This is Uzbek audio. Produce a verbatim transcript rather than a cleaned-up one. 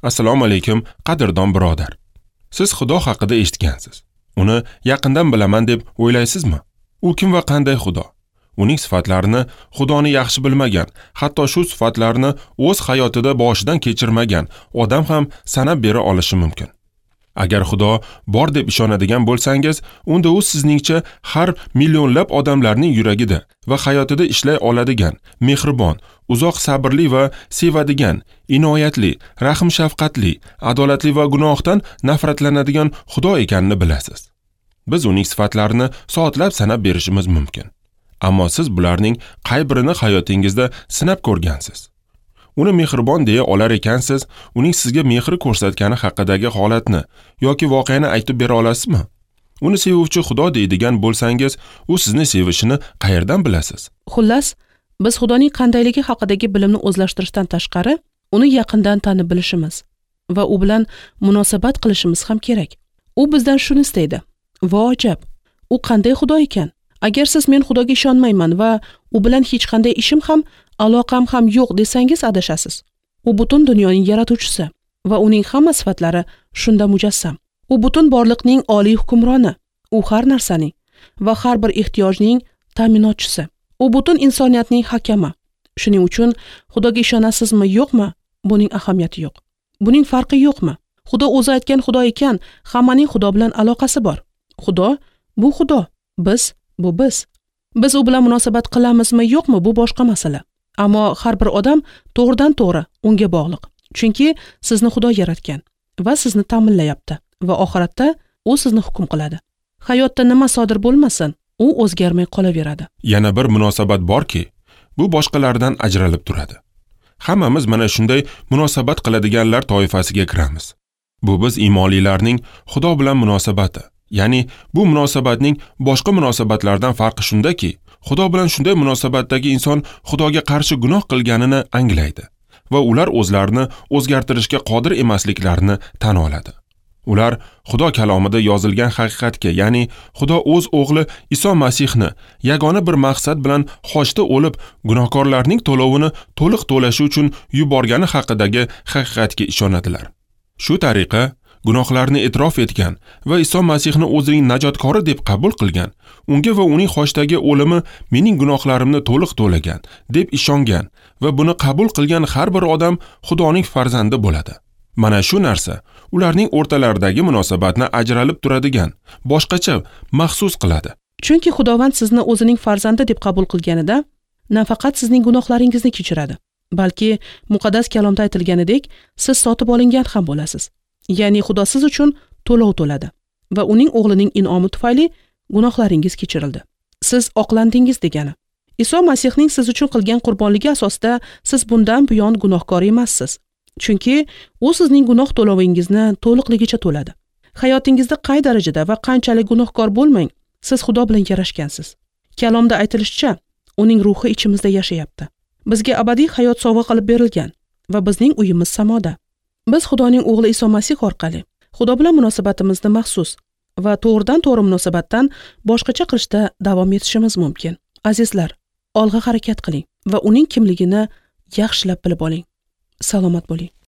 Assalomu alaykum, qadrdon birodar. Siz Xudo haqida eshitgansiz. Uni yaqindan bilaman deb o'ylaysizmi? U kim va qanday Xudo? Uning sifatlarini Xudoni yaxshi bilmagan, hatto shu sifatlarni o'z hayotida boshidan kechirmagan odam ham sanab bera olishi mumkin. Agar Xudo bor deb ishonadigan bo'lsangiz, unda u sizningcha har millionlab odamlarning yuragida va hayotida ishlay oladigan, mehribon, uzoq sabrli va sevadigan, inoyatli, rahm-shafqatli, adolatli va gunohdan nafratlanadigan Xudo ekanini bilasiz. Biz uning sifatlarini soatlab sanab berishimiz mumkin. Ammo siz bularning qay birini hayotingizda sinab ko'rgansiz? Uni mehribon deya olar ekansiz, uning sizga mehr ko'rsatgani haqidagi holatni yoki voqeani aytib bera olasizmi? Uni sevuvchi Xudo deydigan bo'lsangiz, u sizni sevishini qayerdan bilasiz? Xullas, biz Xudoning qandayligi haqidagi bilimni o'zlashtirishdan tashqari, uni yaqindan tanib bilishimiz va u bilan munosabat qilishimiz ham kerak. U bizdan shuni istaydi. Vo ajab, u qanday Xudo ekan? Agar siz men Xudoga ishonmayman va u bilan hech qanday ishim ham, aloqam ham yo'q desangiz adashasiz. U butun dunyoning yaratuvchisi va uning hamma sifatlari shunda mujassam. U butun borliqning oliy hukmroni, u har narsaning va har bir ehtiyojning ta'minotchisi. U butun insoniyatning hakami. Shuning uchun Xudoga ishonasizmi, yo'qmi, buning ahamiyati yo'q. Buning farqi yo'qmi? Xudo o'zi aytgan Xudo ekan, hammaning Xudo bilan aloqasi bor. Xudo bu Xudo, biz bu biz. Biz u bilan munosabat qilamizmi, yo'qmi, bu boshqa masala. Ammo har bir odam to'g'ridan to'g'ri unga bog'liq. Chunki sizni Xudo yaratgan va sizni ta'minlayapti va oxiratda u sizni hukm qiladi. Hayotda nima sodir bo'lmasin, u o'zgarmay qolaveradi. Yana bir munosabat borki, bu boshqalardan ajralib turadi. Hammamiz mana shunday munosabat qiladiganlar toifasiga kiramiz. Bu biz iymonlilarning Xudo bilan munosabati. Ya'ni bu munosabatning boshqa munosabatlardan farqi shundaki, Xudo bilan shunday munosabatdagi inson Xudoga qarshi gunoh qilganini anglaydi va ular o'zlarini o'zgartirishga qodir emasliklarini tan oladi. Ular Xudo kalomida yozilgan haqiqatga, ya'ni Xudo o'z o'g'li Iso Masihni yagona bir maqsad bilan xochda o'lib, gunohkorlarning to'lovini to'liq to'lashi uchun yuborgani haqidagi haqiqatga ishonadilar. Shu tariqa gunohlarni e'tirof etgan va Iso Masihni o'zining najotkori deb qabul qilgan, unga va uning xochdagi o'limi mening gunohlarimni to'liq to'lagan deb ishongan va buni qabul qilgan har bir odam Xudoning farzandi bo'ladi. Mana shu narsa ularning o'rtalaridagi munosabatni ajralib turadigan, boshqacha maxsus qiladi. Chunki Xudovand sizni o'zining farzandi deb qabul qilganida nafaqat sizning gunohlaringizni kechiradi, balki muqaddas kalomda aytilganidek, siz sotib olingan ham bo'lasiz. Ya'ni Xudo siz uchun to'lov to'ladi va uning o'g'lining in'omi tufayli gunohlaringiz kechirildi. Siz oqlandingiz degani. Iso Masihning siz uchun qilgan qurbonligi asosida siz bundan buyon gunohkor emassiz. Chunki u sizning gunoh to'lovingizni to'liqligicha to'ladi. Hayotingizda qay darajada va qanchalik gunohkor bo'lmang, siz Xudo bilan yarashgansiz. Kalomda aytilishicha, uning ruhi ichimizda yashayapti. Bizga abadiy hayot sovg'a qilib berilgan va bizning uyimiz samoda. Biz Xudoning o'g'li Iso Masih orqali Xudo bilan munosabatimizni maxsus va to'g'ridan to'g'ri munosabatdan boshqacha qilishda davom etishimiz mumkin. Azizlar, olg'a harakat qiling va uning kimligini yaxshilab bilib oling. Salomat bo'ling.